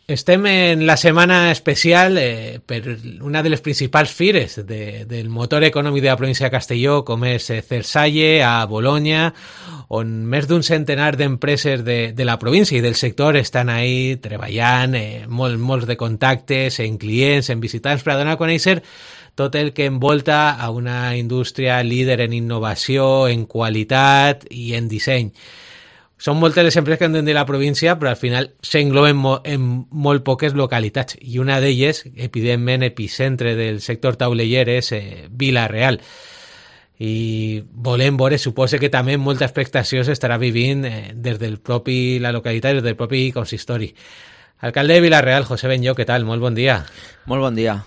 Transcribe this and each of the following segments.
Estem en la setmana especial per una de les principals fires del motor econòmic de la província de Castelló, com és Cersalle, a Bolonya, on més d'un centenar d'empreses de la província i del sector estan ahí treballant, molts de contactes, en clients, en visitants, per a donar a conèixer tot el que envolta a una indústria líder en innovació, en qualitat i en disseny. Són moltes les empreses que han de la província, però al final s'engloben en molt poques localitats. I una d'elles, evidentment, epicentre del sector tauleller, és Vila-real. I volem veure, suposa que també molta expectació s'estarà vivint des del propi la localitat, des del propi consistori. Alcalde de Vila-real, José Benllo, què tal? Molt bon dia. Molt bon dia.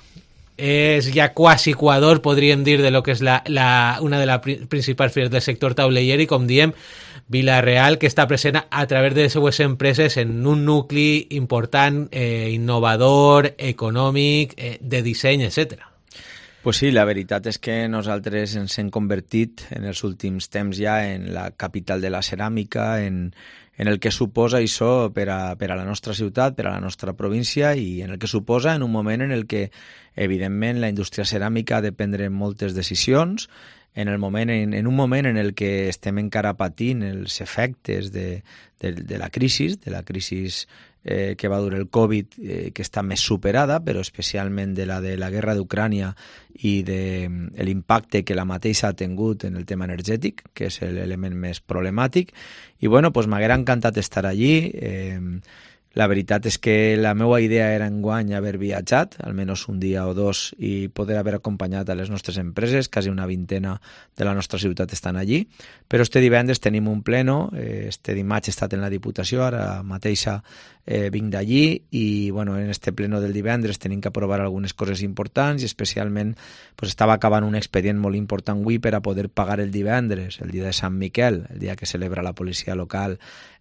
És ja quasi Equador, podríem dir, de lo que és una de les principals fires del sector tauleller i, com diem, Vila-real, que està present a través de les seues empreses en un nucli important, innovador, econòmic, de disseny, etc. Pues sí, la veritat és que nosaltres ens hem convertit en els últims temps ja en la capital de la ceràmica, en el que suposa això per a la nostra ciutat, per a la nostra província, i en el que suposa en un moment en el que, evidentment, la indústria ceràmica ha de prendre moltes decisions, en un moment en el que estem encara patint els efectes de la crisi que va dur el Covid, que està més superada, però especialment de la guerra d'Ucrània i de l'impacte que la mateixa ha tingut en el tema energètic, que és l'element més problemàtic. I bueno, pues m'haguera encantat estar allí. La veritat és que la meva idea era enguany haver viatjat, almenys un dia o dos, i poder haver acompanyat a les nostres empreses, quasi una vintena de la nostra ciutat estan allí, però este divendres tenim un pleno, este dimarts he estat en la Diputació, ara mateixa vinc d'allí, i bueno, en este pleno del divendres tenim que aprovar algunes coses importants, i especialment pues, estava acabant un expedient molt important avui per a poder pagar el divendres, el dia de Sant Miquel, el dia que celebra la policia local,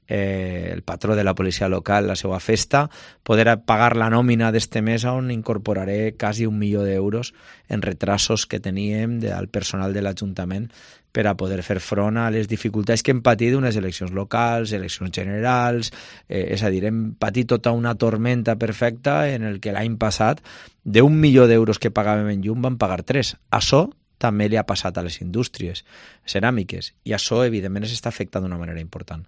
el patró de la policia local, la seva festa, poder pagar la nòmina d'este mes on incorporaré quasi 1 milió d'euros en retrasos que teníem al personal de l'Ajuntament per a poder fer front a les dificultats que hem patit unes eleccions locals, eleccions generals, és a dir, hem patit tota una tormenta perfecta en el que l'any passat d'1 milió d'euros que pagàvem en llum vam pagar 3. Això també li ha passat a les indústries ceràmiques i això evidentment s'està afectant d'una manera important.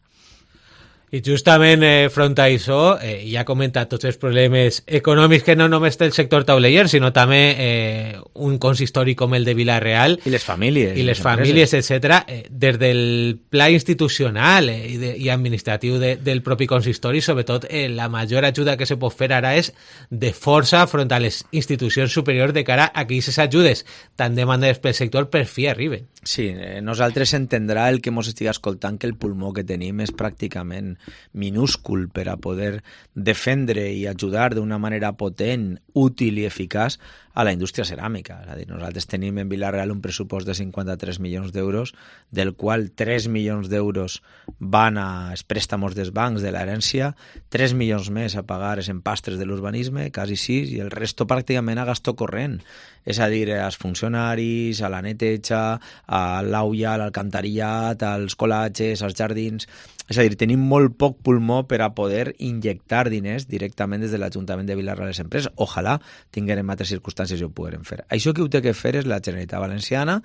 I justament front a això, ja ha comentat tots els problemes econòmics que no només té el sector tauleller, sinó també un consistori com el de Vila-real. I les famílies. I les famílies, etc. Des del pla institucional i administratiu del propi consistori, sobretot la major ajuda que se pot fer ara és de força front a les institucions superiors de cara a que aquestes ajudes tan demandades pel sector per fi arriben. Sí, nosaltres entendrà el que ens estigui escoltant que el pulmó que tenim és pràcticament minúscul per a poder defendre i ajudar d'una manera potent, útil i eficaç a la indústria ceràmica. És a dir, nosaltres tenim en Vila-real un pressupost de 53 milions d'euros, del qual 3 milions d'euros van als préstamos dels bancs de l'herència, 3 milions més a pagar els empastres de l'urbanisme, quasi 6, i el resto pràcticament a gasto corrent. És a dir, als funcionaris, a la neteja, a l'aulla, a l'alcantarillat, als colatges, als jardins. És a dir, tenim molt poc pulmó per a poder injectar diners directament des de l'Ajuntament de Vila-real a les empreses. Ojalà tinguérem altres circumstàncies i ho poguérem fer. Això que ho té que fer és la Generalitat Valenciana.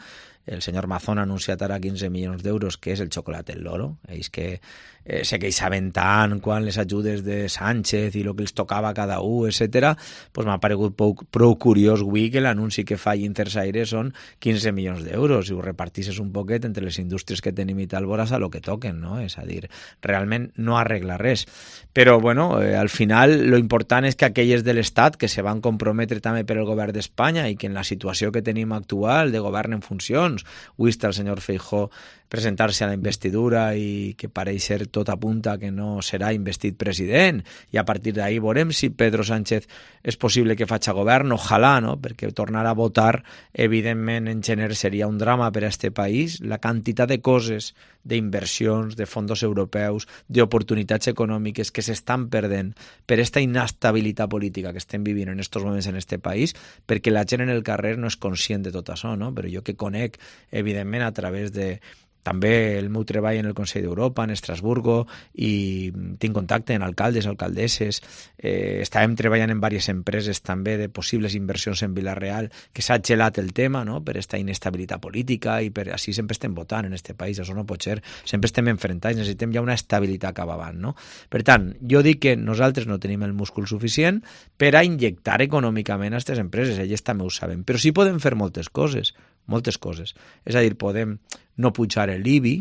El senyor Mazón ha anunciat ara 15 milions d'euros, que és el xocolat del loro. Ells que sé que ells saben tant quan les ajudes de Sánchez i el que els tocava a cada un, etc. Pues m'ha paregut prou curiós avui que l'anunci que fa Intersaire són 15 milions d'euros i ho repartisses un poquet entre les indústries que tenim i tal, veuràs a lo que toquen, no? És a dir, realment no arregla res. Però, bueno, al final lo important és que aquelles de l'Estat que se van comprometre també per el govern d'Espanya i que en la situació que tenim actual de govern en funcions, avui està el senyor Feijóo presentar-se a la investidura i que pareix ser tot apunta que no serà investit president i a partir d'ahí veurem si Pedro Sánchez és possible que faci govern, ojalà, no? Perquè tornar a votar evidentment en gener seria un drama per a este país. La quantitat de coses, d'inversions, de fons europeus, d'oportunitats econòmiques que s'estan perdent per esta inestabilitat política que estem vivint en estos moments en este país, perquè la gent en el carrer no és conscient de tot això, no? Però jo que conec, evidentment, a través de també el meu treball en el Consell d'Europa, en Estrasburgo, i tinc contacte amb alcaldes, alcaldesses. Estàvem treballant en diverses empreses també de possibles inversions en Vila-real, que s'ha gelat el tema, no?, per aquesta inestabilitat política, i per així sempre estem votant en aquest país, això no pot ser, sempre estem enfrontats, necessitem ja una estabilitat cap avant, no? Per tant, jo dic que nosaltres no tenim el múscul suficient per a injectar econòmicament a aquestes empreses, elles també ho saben, però sí podem fer moltes coses. És a dir, podem no pujar l'IBI,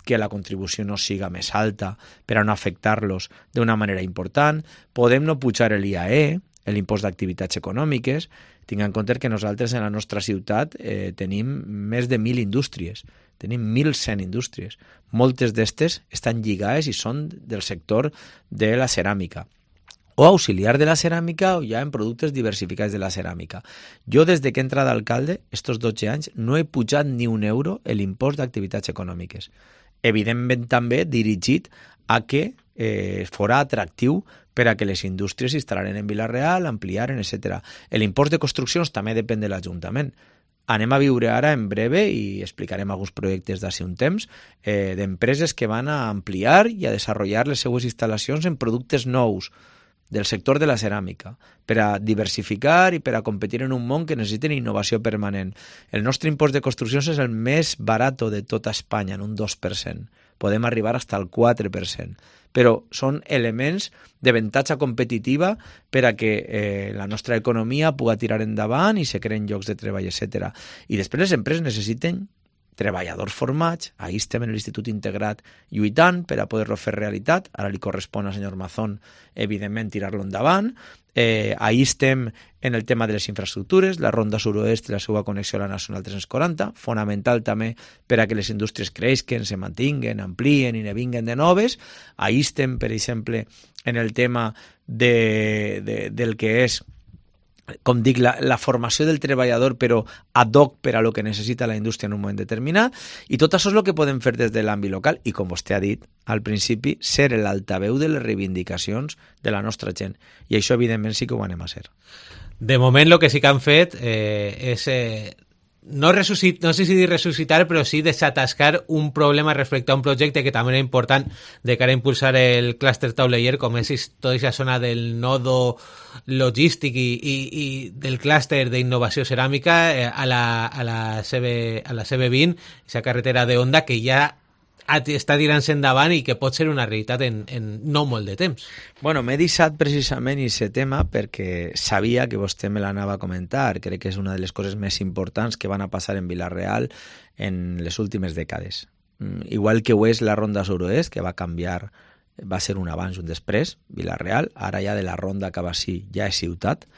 que la contribució no siga més alta per a no afectar-los d'una manera important, podem no pujar l'IAE, l'impost d'activitats econòmiques. Tinc en compte que nosaltres en la nostra ciutat tenim més de 1.000 indústries, tenim 1.100 indústries. Moltes d'estes estan lligades i són del sector de la ceràmica, o auxiliar de la ceràmica, o ja en productes diversificats de la ceràmica. Jo, des que he entrat d'alcalde, estos 12 anys, no he pujat ni un euro l'impost d'activitats econòmiques. Evidentment també dirigit a que fora atractiu per a que les indústries s'instal·laren en Vila-real, ampliaren, etc. L'impost de construccions també depèn de l'Ajuntament. Anem a viure ara en breve, i explicarem alguns projectes d'ací un temps, d'empreses que van a ampliar i a desenvolupar les seues instal·lacions en productes nous del sector de la ceràmica, per a diversificar i per a competir en un món que necessiten innovació permanent. El nostre impost de construccions és el més barat de tota Espanya, en un 2%. Podem arribar fins al 4%. Però són elements d'avantatge competitiva per a que la nostra economia pugui tirar endavant i se creen llocs de treball, etc. I després les empreses necessiten treballadors formats. Ahí estem en l'Institut Integrat lluitant per a poder-lo fer realitat. Ara li correspon al senyor Mazón, evidentment, tirar-lo endavant. Ahí estem en el tema de les infraestructures, la Ronda Sud-oest i la seva connexió a la Nacional 340, fonamental també per a que les indústries creixen, se mantinguen, amplien i ne vinguen de noves. Ahí estem, per exemple, en el tema del que és, com dic, la formació del treballador, però ad hoc per a lo que necessita la indústria en un moment determinat, i tot això és el que podem fer des de l'àmbit local, i com vostè ha dit al principi, ser l'altaveu de les reivindicacions de la nostra gent, i això evidentment sí que ho anem a ser. De moment el que sí que han fet és no sé si dir resucitar, però sí desatascar un problema respecte a un projecte que també era important de cara a impulsar el clúster tauleller, com és tota aquesta zona del nodo logístic i del clúster d'innovació ceràmica a la CB20, aquesta carretera de Honda que ja està tirant-se endavant i que pot ser una realitat en no molt de temps. Bueno, m'he deixat precisament aquest tema perquè sabia que vostè me l'anava a comentar. Crec que és una de les coses més importants que van a passar en Vila-real en les últimes dècades. Igual que ho és la Ronda Sud-oest, que va canviar, va ser un abans i un després, Vila-real, ara ja de la Ronda cap així ja és ciutat,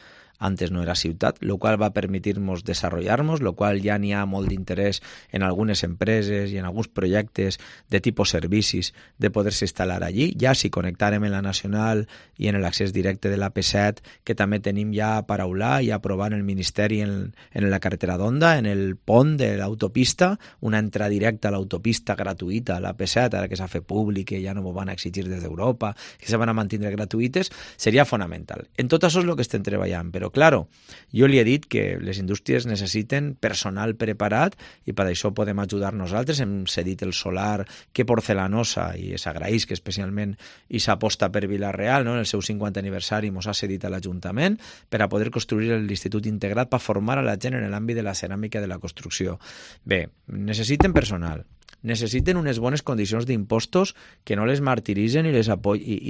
antes no era ciutat, lo qual va permitir-nos desenvolupar-nos, lo qual ja n'hi ha molt d'interès en algunes empreses i en alguns projectes de tipus servicis de poder-se instal·lar allí. Ja si connectàrem en la Nacional i en l'accés directe de l'AP7, que també tenim ja a paraular i a aprovar en el Ministeri en la carretera d'Honda, en el pont de l'autopista, una entrada directa a l'autopista gratuïta a l'AP7, ara que s'ha fet públic, que ja no m'ho van exigir des d'Europa, que se van a mantenir gratuïtes, seria fonamental. En tot això és el que estem treballant, però claro, jo li he dit que les indústries necessiten personal preparat i per això podem ajudar nosaltres. Hem cedit el solar que Porcelanosa, i s'agraeix que especialment i s'aposta per Vila-real, no? En el seu 50 aniversari ens ha cedit a l'Ajuntament per a poder construir l'Institut Integrat per formar a la gent en l'àmbit de la ceràmica i de la construcció. Bé, necessiten personal, necessiten unes bones condicions d'impostos que no les martiritzen i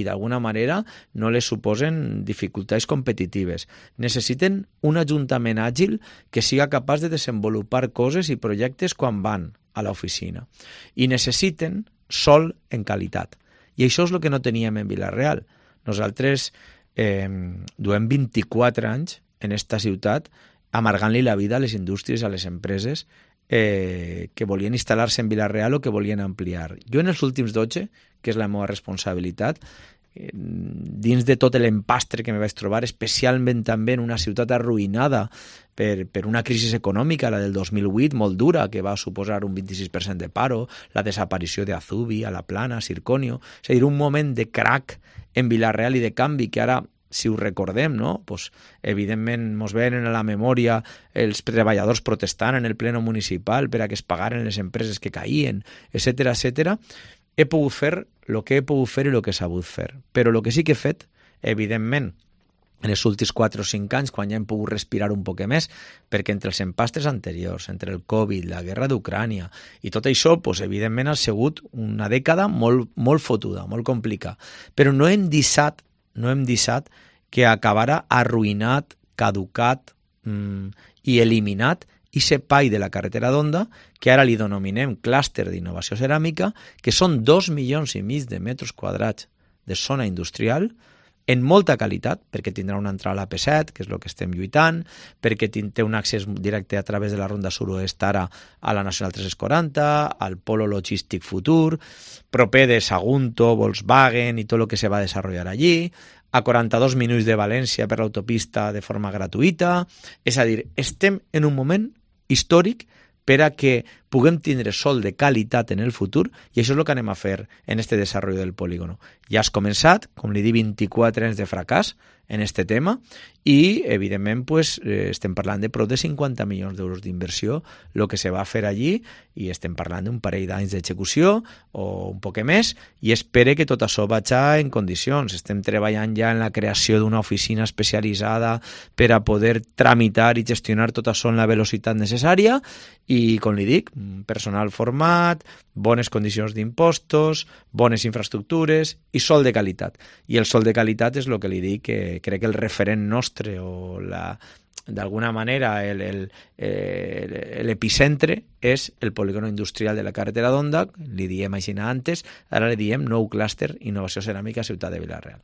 d'alguna manera no les suposen dificultats competitives. Necessiten un ajuntament àgil que siga capaç de desenvolupar coses i projectes quan van a l'oficina. I necessiten sol en qualitat. I això és el que no teníem en Vila-real. Nosaltres duem 24 anys en esta ciutat amargant-li la vida a les indústries, a les empreses que volien instal·lar-se en Vila-real o que volien ampliar. Jo en els últims 12, que és la meva responsabilitat, dins de tot l'empastre que me vaig trobar, especialment també en una ciutat arruïnada per una crisi econòmica, la del 2008, molt dura, que va suposar un 26% de paro, la desaparició d'Azubi, a la Plana, Circonio, és a dir, un moment de crac en Vila-real i de canvi que ara si ho recordem, no? Pues, evidentment, mos venen a la memòria els treballadors protestant en el pleno municipal per a que es pagaren les empreses que caïen, etcètera, etcètera. He pogut fer el que he pogut fer i el que he sabut fer. Però el que sí que he fet, evidentment, en els últims 4 o 5 anys, quan ja hem pogut respirar un poc més, perquè entre els empastres anteriors, entre el Covid, la guerra d'Ucrània i tot això, pues, evidentment ha sigut una dècada molt fotuda, molt complicada. Però no hem deixat que acabara arruïnat, caducat i eliminat aquest pall de la carretera d'Onda, que ara li denominem clúster d'innovació ceràmica, que són 2,5 milions de metres quadrats de zona industrial, en molta qualitat, perquè tindrà una entrada a la P7, que és el que estem lluitant, perquè té un accés directe a través de la Ronda Sud-oest ara a la Nacional 340, al Polo Logístic Futur, proper de Sagunto, Volkswagen i tot el que se va desenvolupar allí, a 42 minuts de València per l'autopista de forma gratuïta. És a dir, estem en un moment històric per a que puguem tindre sol de qualitat en el futur, i això és el que anem a fer en este desenvolupament del polígono. Ja has començat, com li dic, 24 anys de fracàs en este tema, i evidentment pues, estem parlant de prop de 50 milions d'euros d'inversió el que se va fer allí, i estem parlant d'un parell d'anys d'execució o un poc més, i espero que tot això vagi en condicions. Estem treballant ja en la creació d'una oficina especialitzada per a poder tramitar i gestionar tot això en la velocitat necessària, i com li dic, personal format, bones condicions d'impostos, bones infraestructures i sol de qualitat. I el sol de qualitat és el que li dic, que crec que el referent nostre o d'alguna manera l'epicentre és el polígono industrial de la carretera d'Onda, li diem així antes, ara li diem nou clúster innovació ceràmica Ciutat de Vila-real.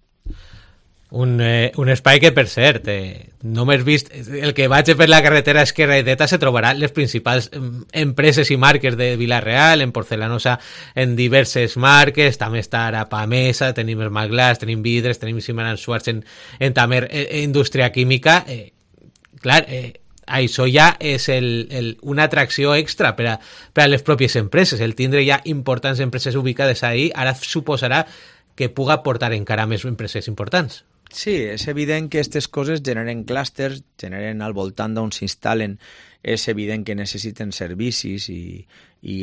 Un espai que, per cert, només vist el que vaig per la carretera esquerra i dreta se trobarà les principals empreses i marques de Vila-real, en porcelanosa en diverses marques, també està ara Pamesa, tenim Esmaglass, tenim Vidres, tenim Siman & Schwartz en també indústria química. Clar, això ja és una atracció extra per a les pròpies empreses. El tindre ja importants empreses ubicades ahí ara suposarà que puga portar encara més empreses importants. Sí, és evident que aquestes coses generen clústers, generen al voltant d'on s'instal·len, és evident que necessiten servicis i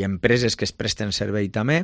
empreses que es presten servei també.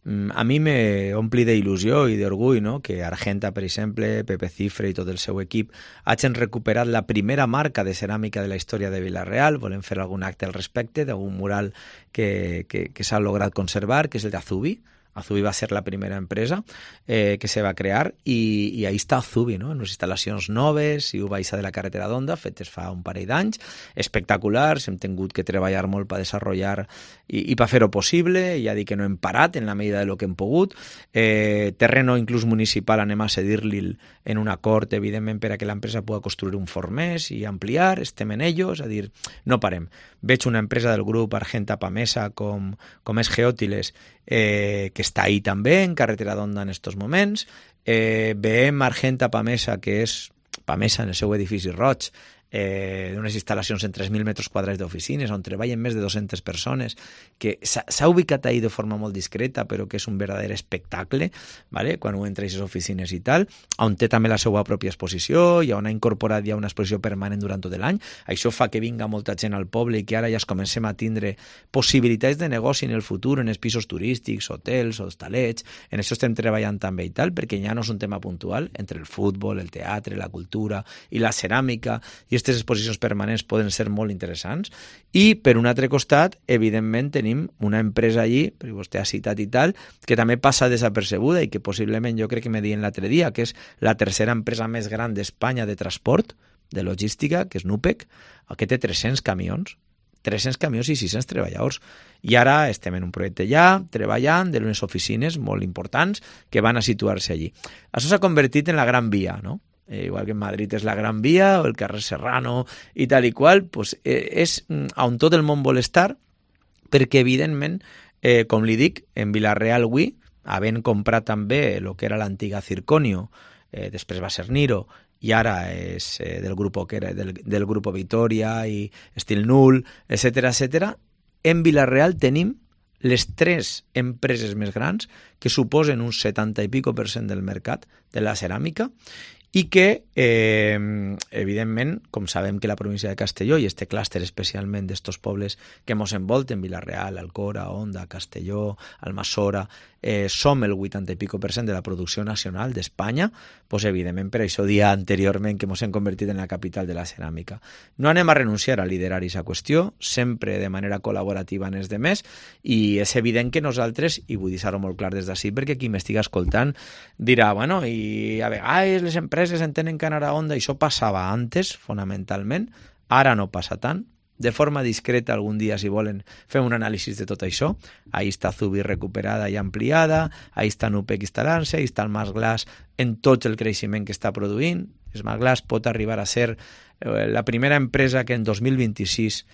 A mi m'ompli d'il·lusió i d'orgull, no?, que Argenta, per exemple, Pepe Cifre i tot el seu equip hagin recuperat la primera marca de ceràmica de la història de Vila-real. Volem fer algun acte al respecte d'un mural que s'ha lograt conservar, que és el d'Azubi. Azubi va ser la primera empresa que se va crear, i ahí està Azubi, no?, en unes instal·lacions noves i ho baixa de la carretera d'Onda, fetes fa un parell d'anys, espectaculars. Hem tingut que treballar molt per desenvolupar i per fer-ho possible. Ja dic que no hem parat en la medida de lo que hem pogut. Terreno inclús municipal anem a cedir-li en un acord, evidentment, per a que l'empresa pugui construir un forn més i ampliar. Estem en ello, és a dir, no parem. Veig una empresa del grup Argenta Pamesa com és Geòtiles, que està ahí també, en carretera d'Onda en estos moments. Veiem Argenta Pamesa, que és Pamesa en el seu edifici roig, d'unes instal·lacions en 3.000 metres quadrats d'oficines, on treballen més de 200 persones, que s'ha ubicat ahí de forma molt discreta, però que és un verdader espectacle, ¿vale?, quan ho entra a aquestes oficines i tal, on té també la seva pròpia exposició, i on ha incorporat ja una exposició permanent durant tot l'any. Això fa que vinga molta gent al poble i que ara ja es comencem a tindre possibilitats de negoci en el futur, en els pisos turístics, hotels, hostalets. En això estem treballant també i tal, perquè ja no és un tema puntual entre el futbol, el teatre, la cultura i la ceràmica, i aquestes exposicions permanents poden ser molt interessants. I, per un altre costat, evidentment, tenim una empresa allí, perquè vostè ha citat i tal, que també passa desapercebuda i que possiblement jo crec que me deien l'altre dia, que és la tercera empresa més gran d'Espanya de transport, de logística, que és Nupec, que té 300 camions. 300 camions i 600 treballadors. I ara estem en un projecte ja, treballant, d'unes oficines molt importants que van a situar-se allí. Això s'ha convertit en la Gran Via, no? Igual que en Madrid és la Gran Via o el carrer Serrano i tal i qual, pues, és on tot el món vol estar, perquè evidentment, com li dic, en Vila-real avui, havent comprat també el que era l'antiga Circonio, després va ser Niro, i ara és del grup Vitoria i Estil Null, etcètera, en Vila-real tenim les 3 empreses més grans que suposen un 70% i pico del mercat de la ceràmica, i que, evidentment, com sabem que la província de Castelló i este clúster especialment d'estos pobles que mos envolten, Vila-real, Alcora, Onda, Castelló, Almassora, som el 80 i pico % de la producció nacional d'Espanya, doncs evidentment per això dia anteriorment que mos hem convertit en la capital de la ceràmica. No anem a renunciar a liderar aquesta qüestió, sempre de manera col·laborativa en els demés, i és evident que nosaltres, i vull dir-ho molt clar des d'ací, perquè qui m'estiga escoltant dirà, bueno, i a vegades les empreses entenen que anar a Onda, i això passava antes, fonamentalment, ara no passa tant. De forma discreta, algun dia, si volen, fem un anàlisi de tot això. Ahí està Zubi recuperada i ampliada, ahí està Nupec instal·lant-se, ahí està el Mas Glass en tot el creixement que està produint. El Mas Glass pot arribar a ser la primera empresa que en 2026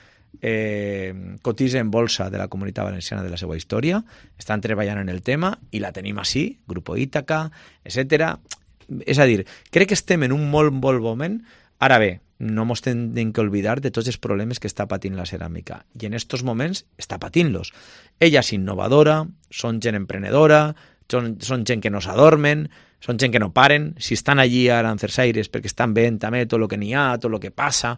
cotitza en bolsa de la Comunitat Valenciana de la seva història. Estan treballant en el tema i la tenim així, Grupo Ítaca, etc. És a dir, crec que estem en un molt bon moment. Ara bé, no ens hem d'oblidar de tots els problemes que està patint la ceràmica. I en aquests moments està patint-los. Ella és innovadora, són gent emprenedora, són gent que no s'adormen, són gent que no paren. Si estan allí ara en Cersaires perquè estan veient també tot el que n'hi ha, tot el que passa,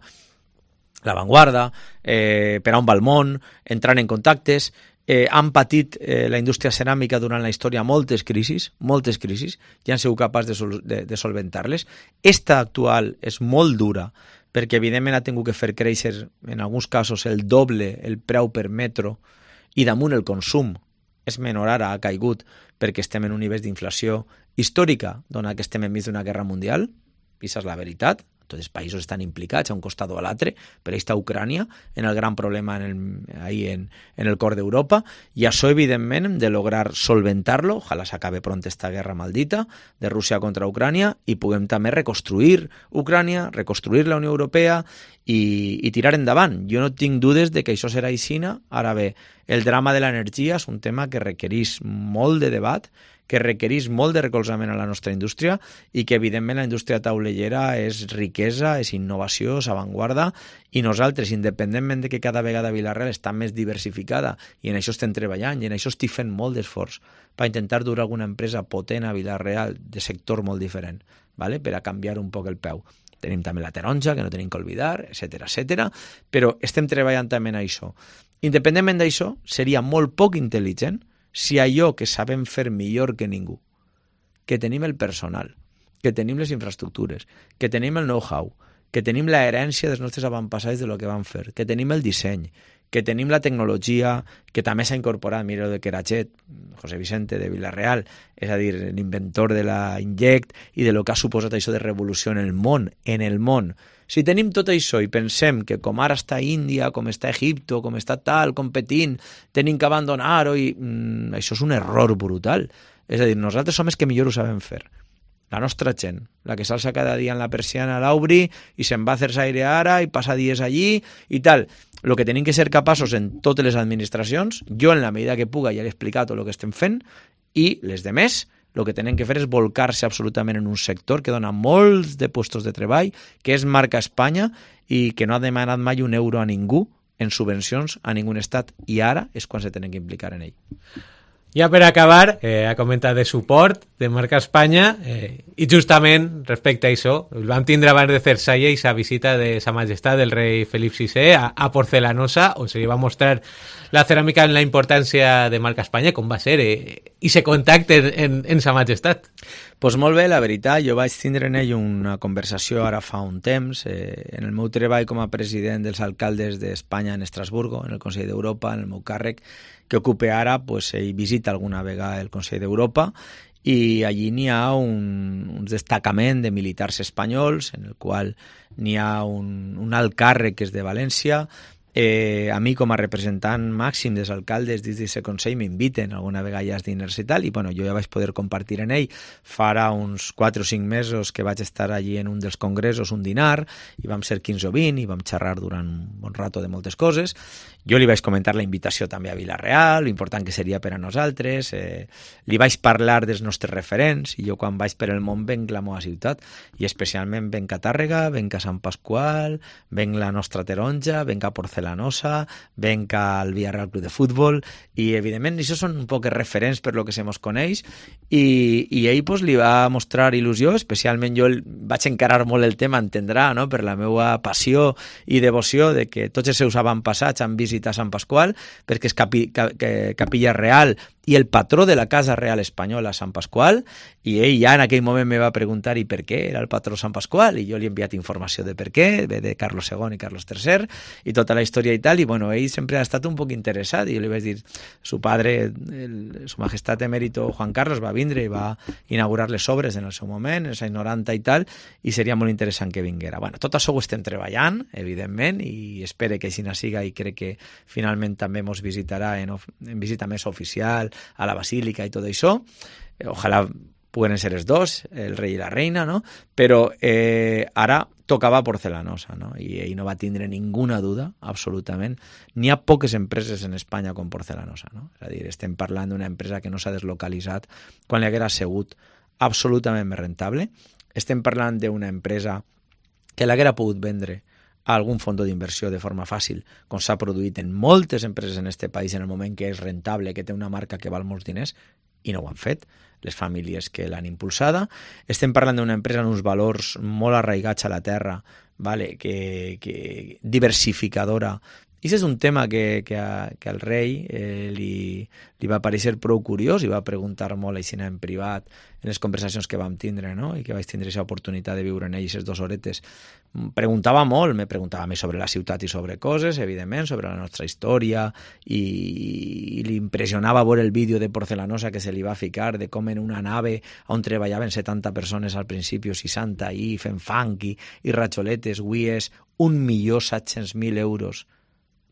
l'avantguarda, per on va el món, entrant en contactes. Han patit la indústria ceràmica durant la història moltes crisis, i han sigut capaços de solventar-les. Esta actual és molt dura, perquè evidentment ha tingut que fer créixer, en alguns casos, el doble el preu per metro, i damunt el consum és menor ara, ha caigut, perquè estem en un nivell d'inflació històrica, donat que estem enmig d'una guerra mundial, i això és la veritat. Tots els països estan implicats a un costat o a l'altre, per això està Ucrània, en el gran problema ahí en el cor d'Europa, i això, evidentment, hem de lograr solventar-lo, ojalà s'acabe pront esta guerra maldita de Rússia contra Ucrània, i puguem també reconstruir Ucrània, reconstruir la Unió Europea i tirar endavant. Jo no tinc dudes de que això serà aixina. Ara bé, el drama de l'energia és un tema que requereix molt de debat, que requereix molt de recolzament a la nostra indústria i que, evidentment, la indústria taulellera és riquesa, és innovació, és avantguarda, i nosaltres, independentment de que cada vegada Vila-real està més diversificada, i en això estem treballant, i en això estic fent molt d'esforç per intentar dur alguna empresa potent a Vila-real de sector molt diferent, ¿vale? Per a canviar un poc el peu. Tenim també la taronja, que no tenim que oblidar, etc. Però estem treballant també en això. Independentment d'això, seria molt poc intel·ligent si allò que sabem fer millor que ningú, que tenim el personal, que tenim les infraestructures, que tenim el know-how, que tenim la herència dels nostres avantpassats de lo que van fer, que tenim el disseny, que tenim la tecnologia, que també s'ha incorporat, mira de Querachet, José Vicente de Vila-real, és a dir, l'inventor de la Inject i de lo que ha suposat això de revolució en el món, Si tenim tot això i pensem que com ara està Índia, com està Egipto, com està tal, competint, tenim que abandonar-ho, això és un error brutal. És a dir, nosaltres som els que millor ho sabem fer. La nostra gent, la que s'alça cada dia en la persiana a l'Aubri i se'n va a Cersaire ara i passa dies allí i tal. El que tenim que ser capaços en totes les administracions, jo en la medida que puga ja l'he explicat tot el que estem fent, i les demés, el que tenen que fer és volcar-se absolutament en un sector que dona molts de puestos de treball, que és marca Espanya i que no ha demanat mai un euro a ningú en subvencions a ningú estat, i ara és quan se tenen que implicar en ell. Ja per acabar, ha comentat de suport de marca Espanya i justament respecte a això, vam tindre abans de Cersalle i sa visita de Sa Majestat del rei Felip VI a Porcelanosa, on se li va mostrar la ceràmica en la importància de marca Espanya, com va ser, i se contacte en Sa Majestat. Pues molt bé, la veritat, jo vaig tindre en ell una conversació ara fa un temps, en el meu treball com a president dels alcaldes d'Espanya en Estrasburgo, en el Consell d'Europa, en el meu càrrec, que ocupe ara, pues, ell visita alguna vegada el Consell d'Europa i allí n'hi ha un destacament de militars espanyols en el qual n'hi ha un alt càrrec que és de València. A mi com a representant màxim dels alcaldes dins d'aquest Consell m'inviten alguna vegada als diners i tal, i bueno, jo ja vaig poder compartir en ell farà uns 4 o 5 mesos que vaig estar allí en un dels congressos, un dinar, i vam ser 15 o 20 i vam xerrar durant un bon rato de moltes coses. Jo li vaig comentar la invitació també a Vila-real, l'important que seria per a nosaltres, li vaig parlar dels nostres referents, i jo quan vaig per el món venc la meva ciutat, i especialment venc a Tàrrega, venc a Sant Pasqual, venc la nostra taronja, venc a Porcelanosa, Porcelanosa, venc al Villarreal Club de Futbol, i evidentment això són un poc referents per lo que se mos coneix, i ell pues, li va mostrar il·lusió, especialment jo vaig encarar molt el tema, entendrà, no? Per la meva passió i devoció de que tots els seus avantpassats han visitat Sant Pasqual, perquè és capilla real i el patró de la Casa Real Espanyola, Sant Pasqual, i ell ja en aquell moment me va preguntar i per què era el patró Sant Pasqual, i jo li he enviat informació de per què, de Carlos II i Carlos III, i tota la història i tal, i bueno, ell sempre ha estat un poc interessat, i jo li vaig dir, su padre, su majestat emèrito Juan Carlos va vindre i va inaugurar les obres en el seu moment, en els anys 90 i tal, i seria molt interessant que vinguera. Bueno, tot això ho estem treballant, evidentment, i espero que així siga, i crec que finalment també ens visitarà en visita més oficial a la Basílica i tot això. Ojalà puguen ser els dos, el rei i la reina, no? Però ara tocava Porcelanosa, no? I ell no va tindre ninguna duda, absolutament. N'hi ha poques empreses en Espanya com Porcelanosa, no? És a dir, estem parlant d'una empresa que no s'ha deslocalitzat quan li haguera sigut absolutament més rentable. Estem parlant d'una empresa que l'haguera pogut vendre a algun fons d'inversió de forma fàcil, com s'ha produït en moltes empreses en aquest país en el moment que és rentable, que té una marca que val molts diners, i no ho han fet les famílies que l'han impulsada. Estem parlant d'una empresa amb uns valors molt arraigats a la terra, vale? que diversificadora. I aquest és un tema que al rei li va parecer prou curiós i va preguntar molt així en privat en les conversacions que vam tindre, no? I que vaig tindre aquesta oportunitat de viure en ell aquestes 2 horetes. Preguntava molt, me preguntava més sobre la ciutat i sobre coses, evidentment, sobre la nostra història, i li impressionava veure el vídeo de Porcelanosa que se li va ficar, de com en una nave on treballaven 70 persones al principi, 60, i fent funk i ratxoletes, avui és 1.700.000 euros.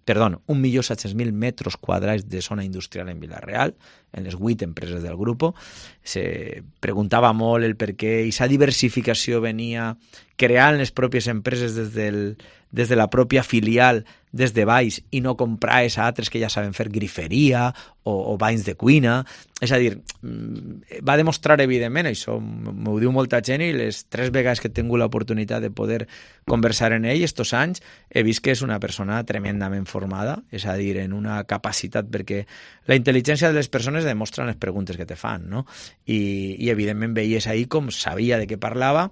Perdó, 1.700.000 metres quadrats de zona industrial en Vila-real, en les 8 empreses del grup. Se preguntava molt el per què aquesta diversificació venia creant les pròpies empreses des de la pròpia filial, des de baix, i no comprar a altres que ja saben fer griferia o banys de cuina. És a dir, va demostrar evidentment, això m'ho diu molta gent, i les 3 vegades que he tingut l'oportunitat de poder conversar en ell estos anys, he vist que és una persona tremendament formada, és a dir, en una capacitat, perquè la intel·ligència de les persones demostren les preguntes que te fan, no? I evidentment veies ahir com sabia de què parlava.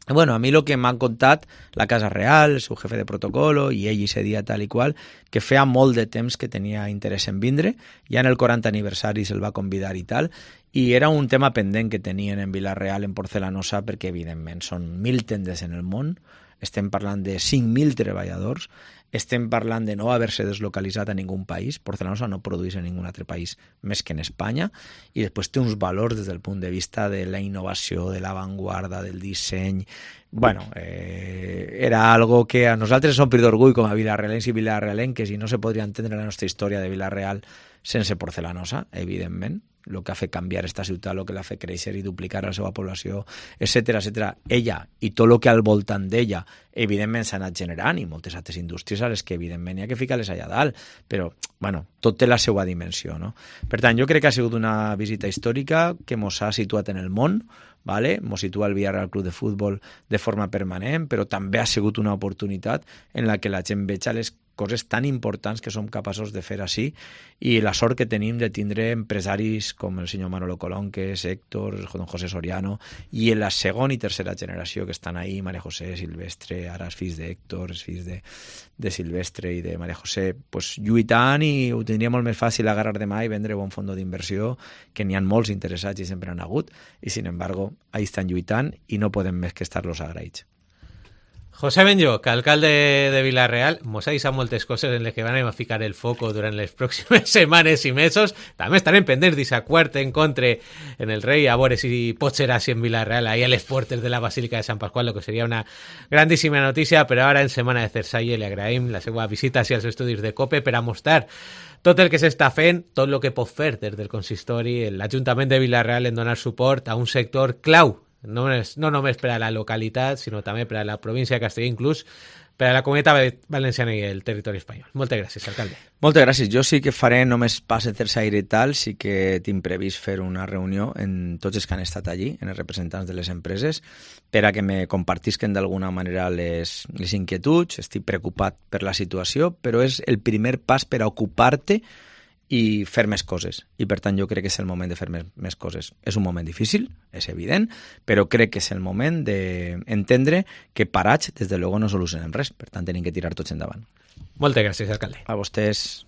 Bueno, a mi el que m'han contat la Casa Real, el seu jefe de protocolo, i ell ese dia tal i qual, que feia molt de temps que tenia interès en vindre, ja en el 40 aniversari se'l va convidar i tal, i era un tema pendent que tenien en Vila-real, en Porcelanosa, perquè evidentment són 1.000 tendes en el món, estem parlant de 5.000 treballadors, estem parlant de no haver-se deslocalitzat a ningú país. Porcelanosa no produeix en ningú altre país més que en Espanya, i després té uns valors des del punt de vista de la innovació, de l'avantguarda, del disseny. Bueno, era algo que a nosaltres som omplir d'orgull com a vilarealens i vilarealenques, i no se podria entendre la nostra història de Vila-real sense Porcelanosa, evidentment. El que ha fet canviar esta ciutat, el que l'ha fet créixer i duplicar la seva població, etcètera, etcètera. Ella i tot el que al voltant d'ella, evidentment, s'ha anat generant, i moltes altres indústries a les que, evidentment, hi ha que ficar-les allà dalt, però, bueno, tot té la seva dimensió, no? Per tant, jo crec que ha sigut una visita històrica que mos ha situat en el món, vale? Mos situa el Villarreal Club de Futbol de forma permanent, però també ha sigut una oportunitat en la que la gent veja les coses tan importants que som capaços de fer així, i la sort que tenim de tindre empresaris com el senyor Manolo Colón, que és Héctor, don José Soriano, i en la segona i tercera generació que estan ahí, María José, Silvestre, ara els fills d'Héctor, els fills de Silvestre i de María José, pues, lluitant, i ho tindria molt més fàcil agarrar demà i vendre bon fons d'inversió, que n'hi ha molts interessats i sempre han hagut, i sin embargo, ahí estan lluitant, i no podem més que estar-los agraïts. José Benlloch, alcalde de Vila-real, mos ha deixat moltes coses en les que van a ficar el foco durant les pròximes setmanes i mesos. També estarem pendents d'aquest quart encontre en el rei, a veure si pot ser així en Vila-real, ahí a les portes de la Basílica de Sant Pasqual, lo que seria una grandíssima notícia. Però ara, en Setmana de Cersalle, li agraïm la seva visita als estudis de COPE per a mostrar tot el que s'està fent, tot el que pot fer des del consistori, l'Ajuntament de Vila-real, en donar suport a un sector clau, no només per a la localitat, sinó també per a la província de Castelló, inclús per a la Comunitat Valenciana i el territori espanyol. Moltes gràcies, alcalde. Moltes gràcies. Jo sí que faré, només pas Cersaire i tal, sí que tinc previst fer una reunió en tots els que han estat allí, en els representants de les empreses, per a que me compartisquen d'alguna manera les inquietuds. Estic preocupat per la situació, però és el primer pas per a ocupar-te i fer més coses. I per tant jo crec que és el moment de fer més coses. És un moment difícil, és evident, però crec que és el moment d'entendre que parats, des de luego, no solucionem res. Per tant, tenim que tirar tots endavant. Moltes gràcies, alcalde. A vostès.